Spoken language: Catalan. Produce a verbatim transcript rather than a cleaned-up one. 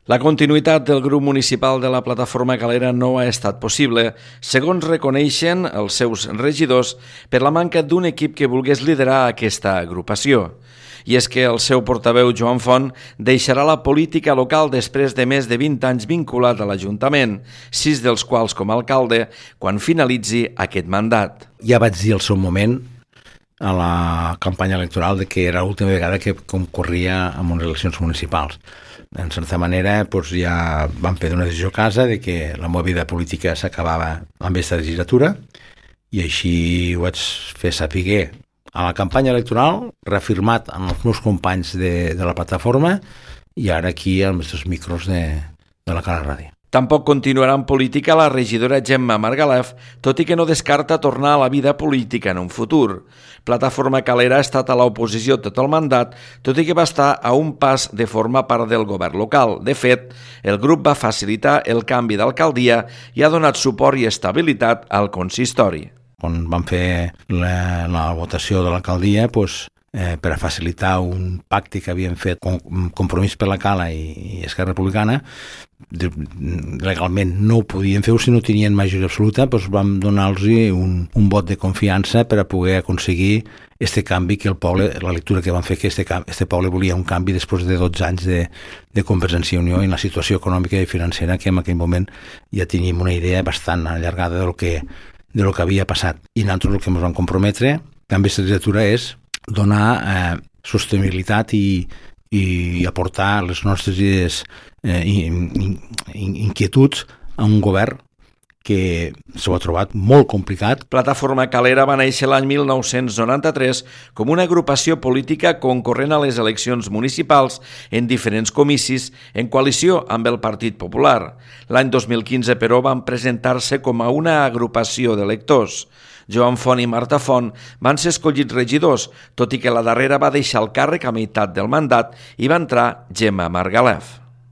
La continuïtat del grup municipal de la Plataforma Calera no ha estat possible, segons reconeixen els seus regidors, per la manca d'un equip que volgués liderar aquesta agrupació. I és que el seu portaveu, Joan Font, deixarà la política local després de més de vint anys vinculat a l'Ajuntament, sis dels quals com a alcalde, quan finalitzi aquest mandat. Ja vaig dir al seu moment, a la campanya electoral, de que era l'última vegada que concorria en unes eleccions municipals. En certa manera, doncs ja vam prendre una decisió a casa de que la meva vida política s'acabava amb aquesta legislatura i així ho vaig fer saber a la campanya electoral, reafirmat amb els meus companys de, de la plataforma i ara aquí als nostres micros de, de la Cala Ràdio. Tampoc continuarà en política la regidora Gemma Margalef, tot i que no descarta tornar a la vida política en un futur. Plataforma Calera ha estat a l'oposició tot el mandat, tot i que va estar a un pas de formar part del govern local. De fet, el grup va facilitar el canvi d'alcaldia i ha donat suport i estabilitat al consistori. Quan vam fer la, la votació de l'alcaldia, doncs, eh, per a facilitar un pacte que havien fet com Compromís per la Cala i, i Esquerra Republicana, legalment no ho podien fer si no tenien majoria absoluta, doncs vam donar-los un, un vot de confiança per a poder aconseguir este canvi que el poble, la lectura que van fer que este, este poble volia un canvi després de dotze anys de, de Convergència i Unió en la situació econòmica i financera que en aquell moment ja teníem una idea bastant allargada del que, de lo que havia passat. I nosaltres el que ens vam comprometre amb aquesta legislatura és donar eh, sostenibilitat i, i aportar les nostres idees eh, in, in, inquietuds a un govern que s'ho ha trobat molt complicat. Plataforma Calera va néixer l'any mil nou-cents noranta-tres com una agrupació política concorrent a les eleccions municipals en diferents comicis en coalició amb el Partit Popular. L'any dos mil quinze, però, van presentar-se com a una agrupació d'electors. Joan Font i Marta Font van ser escollits regidors, tot i que la darrera va deixar el càrrec a meitat del mandat i va entrar Gemma Margalef.